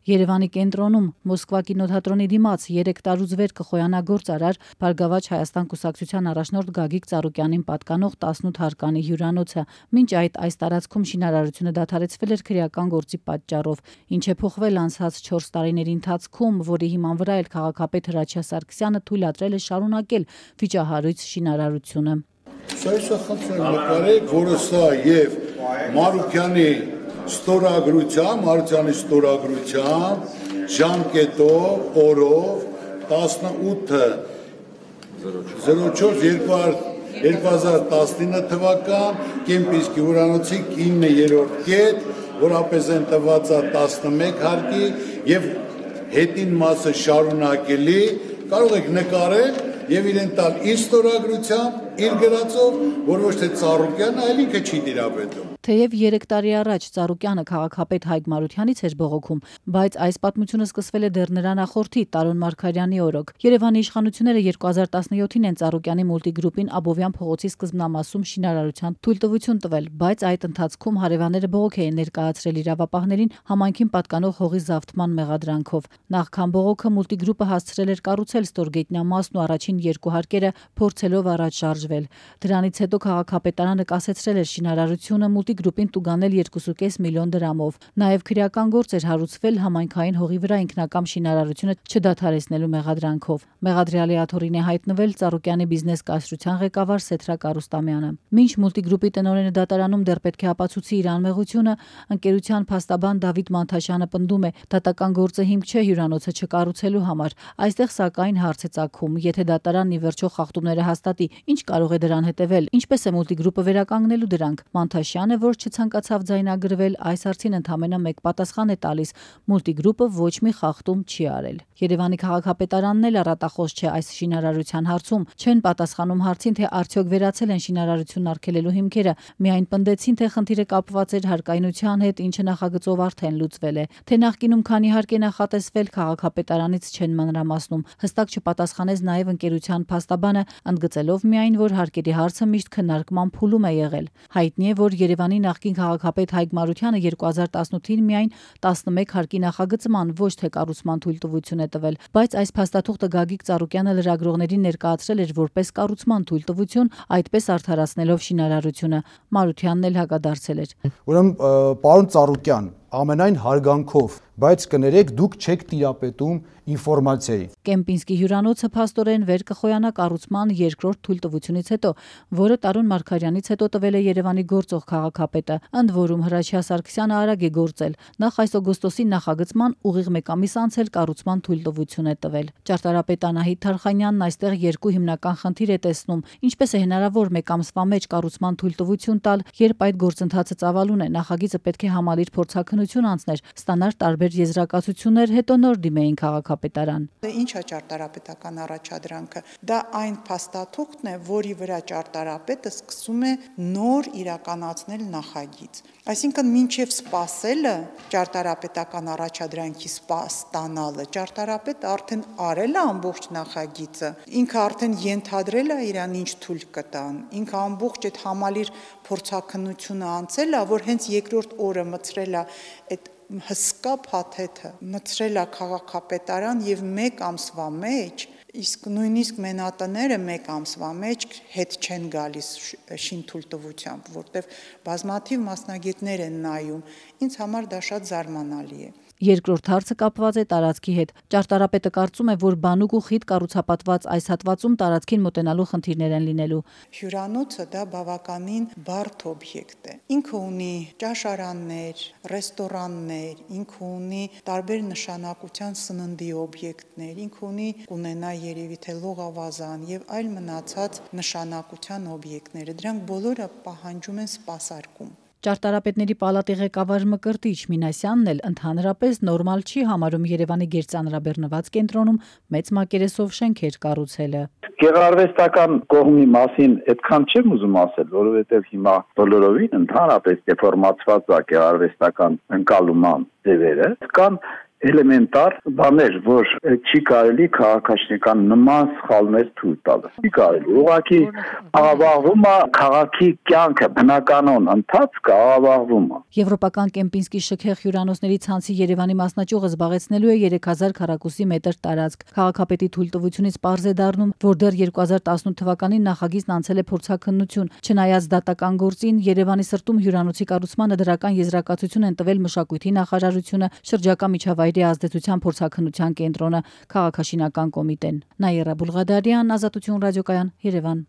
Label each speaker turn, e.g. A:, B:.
A: Երևանի կենտրոնում Մոսկվա կինոթատրոնի դիմաց 3 տարուց վեր կխոյանա գործարար Բարգավաճ Հայաստան կուսակցության առաջնորդ Գագիկ Ծառուկյանին պատկանող 18 հարկանի հյուրանոցը։ Մինչ այս տարածքում շինարարությունը դադարեցվել էր քրեական գործի պատճառով, ինչ է փոխվել անցած 4 տարիների ընթացքում, որի հիման վրա էլ քաղաքապետ Հրաչյա Սարգսյանը թույլատրել է շարունակել վիճահարույց շինարարությունը։
B: Սա նկարեք, որը սա եւ Մարուկյանի ստորագրությամբ ժամկետով օրով 18/04/2019 թվական Կեմպինսկի հյուրանոցի 9-րդ կետ, որապես են տված 11 հարկի եւ հետին մասը շարունակելի, կարող եք նկարել եւ իրեն տալ իր ստորագրությամբ, իր գրածով, որ ոչ թե Ծառուկյանը, այլ ինքը չի տիրապետում։
A: Թեև 3 տարի առաջ Ծառուկյանը քաղաքապետ Հայկ Մարությանից էր բողոքում, բայց այս պատմությունը սկսվել է դեռ նրա նախորդի Տարոն Մարգարյանի օրոք։ Երևանի իշխանությունները 2017-ին են Ծառուկյանի մուլտիգրուպին Աբովյան փողոցի սկզբնամասում շինարարության թույլտվություն տվել, բայց այդ ընթացքում հարևանները բողոք էին ներկայացրել իրավապահներին համայնքին պատկանող հողի զավթման մեղադրանքով։ Նախքան բողոքը մուլտիգրուպը հասցրել էր կառուցել ստորգետնյամասն ու առաջին 2 հարկերը փորձելով առաջ շարժվել։ Դրանից հետո քաղաքապետարանը կասեցրել էր շինարարությունը մուլտիգրուպին տուգանել 2.5 միլիոն դրամով։ Նաև քրեական գործ էր հարուցվել համայնքային հողի վրա ինքնակամ շինարարությունը չդադարեցնելու մեղադրանքով։ Մեղադրյալի աթոռին է հայտնվել Ծառուկյանի բիզնես կայսրության ղեկավար Սեթրակ Արուստամյանը։ Մինչ մուլտիգրուպի տնօրենը դատարանում դեռ պետք է ապացուցի իր անմեղությունը, ընկերության փաստաբան Դավիթ Մանթաշյանը պնդում է, դատական գործը հիմք չէ հյուրանոցը չկառուցելու համար։ Այստեղ սակայն հարց է ծագում, եթե դատարանն ի վերջո խախտումները հաստատի, ինչ կարող է դրան հետևել, ինչպես է մուլտիգրուպը վերականգնելու դրանք։ Մանթաշյանը, որ չցանկացավ ձայնագրվել, այս հարցին ընդամենը մեկ պատասխան է տալիս՝ մուլտիգրուպը ոչ մի խախտում չի արել։ Երևանի քաղաքապետարանն էլ առատախոս չէ այս շինարարության հարցում, չեն պատասխանում հարցին, թե արդյոք վերացել են շինարարությունն արգելելու հիմքերը, միայն պնդեցին, թե խնդիրը կապված էր հարկայնության հետ, ինչը նախագծով արդեն լուծվել է։ Թե նախկինում քանի հարկ է նախատեսվել, քաղաքապետարանից չեն մանրամասնում։ Հստակ չպատասխանեց նաև ընկերության փաստաբանը, ընդգծելով միայն, որ հարկերի հարցը միշտ քննարկման փուլում է եղել։ Հայտնի է, որ Երևանի նախկին քաղաքապետ Հայկ Մարությանը 2018-ին միայն 11 հարկի նախագծման, ոչ թե կառուցման թույլտվություն է տվել, բայց այս փաստաթուղթը Գագիկ Ծառուկյանը լրագրողներին ներկայացրել էր որպես կառուցման թույլտվություն, այդպես արդարացնելով շինարարությունը։ Մարությանն էլ հակադարձել էր։
C: Ուրեմն, պարոն Ծառուկյան, ամենայն հարգանքով, բայց կներեք, դուք չեք տիրապետում ինֆորմացիայի։
A: Կեմպինսկի հյուրանոցը փաստորեն վեր կխոյանա կառուցման 2-րդ թույլտվությունից հետո, որը Տարոն Մարգարյանից հետո տվել է Երևանի գործող քաղաքապետը, ընդ որում Հրաչյա Սարգսյանը արագ է գործել։ Նախ այս օգոստոսի նախագծման ուղիղ 1 ամիս անց էլ կառուցման թույլտվություն է տվել։ Ճարտարապետ Անահիտ Թարխանյանն այստեղ 2 հիմնական խնդիր է տեսնում. ինչպես է հնարավոր 1 ամսվա մեջ կառուցման թույլտվություն տալ, երբ այդ գործընթացը ծավալուն է, նախագիծը պետք է համալիր փորձաքննություն անցներ, ստանար տարբեր եզրակացություններ, հետո նոր դիմեին քաղաքապետարան։
D: Ինչ է ճարտարապետական առաջադրանքը։ Դա այն փաստաթուղթն է, որի վրա ճարտարապետը սկսում է նոր իրականացնել նախագիծ։ Այսինքն մինչև սպասելը ճարտարապետական առաջադրանքի ստանալը, ճարտարապետը արդեն արել է ամբողջ նախագիծը, ինքը արդեն ենթադրել է իրան ինչ թույլ կտան, ինքը ամբողջ այդ համալիր փորձաքննությունը անցել է, որ հենց երկրորդ օրը մցրել է այդ հսկա փաթեթը, մցրել է քաղաքապետարան եւ 1 ամսվա մեջ, իսկ նույնիսկ մենատները 1 ամսվա մեջ հետ չեն գալիս շինթույլտվությամբ, որտեվ բազմաթիվ մասնագետներ են նայում, ինձ համար դա շատ զարմանալի է։
A: Երկրորդ հարցը կապված է տարածքի հետ։ Ճարտարապետը կարծում է, որ բանուկ ու խիտ կառուցապատված այս հատվածում տարածքին մոտենալու խնդիրներ են լինելու։
D: Հյուրանոցը դա բավականին բարդ օբյեկտ է։ Ինքը ունի ճաշարաններ, ռեստորաններ, ինքը ունի տարբեր նշանակության սննդի օբյեկտներ, ինքը ունի կունենա երևի թե լողավազան եւ այլ մնացած նշանակության օբյեկտները։ Դրանք բոլորը պահանջում են սպասարկում։
A: Ճարտարապետների պալատի ղեկավար Մկրտիչ Մինասյանն էլ ընդհանրապես նորմալ չի համարում Երևանի գերծանրաբեռնված կենտրոնում մեծ մակերեսով շենքեր կառուցելը։
E: Գեղարվեստական կողմի մասին այդքան չեմ ուզում ասել, որովհետև հիմա բոլորովին ընդհանրապես դեֆորմացված է գեղարվեստական ընկալման ձևերը, կան էլեմենտար բաներ, որ չի կարելի քաղաքաշինական նման սխալներ թույլ տալ։ Չի կարելի։ Ուղղակի աղավաղվում է քաղաքի կյանքը, բնականon ընթացքը աղավաղվում է։
A: Եվրոպական Կեմպինսկի շքեղ հյուրանոցների ցանցի Երևանի մասնաճյուղը զբաղեցնելու է 3000 քառակուսի մետր տարածք։ Քաղաքապետի թույլտվությունից պարզ է դառնում, որ դեռ 2018 թվականին նախագիծն անցել է փորձաքննություն։ Չնայած դատական գործին, Երևանի սրտում հյուրանոցի կառուցմանը դրական եզրակացություն են տվել Մշակույթի նախարարությունը, շրջակա միջավայրի ազդեցության փորձաքննության կենտրոնը, քաղաքաշինական կոմիտեն։ Նաիրա Բուլղադարյան, Ազատություն ռադիոկայան, Երևան։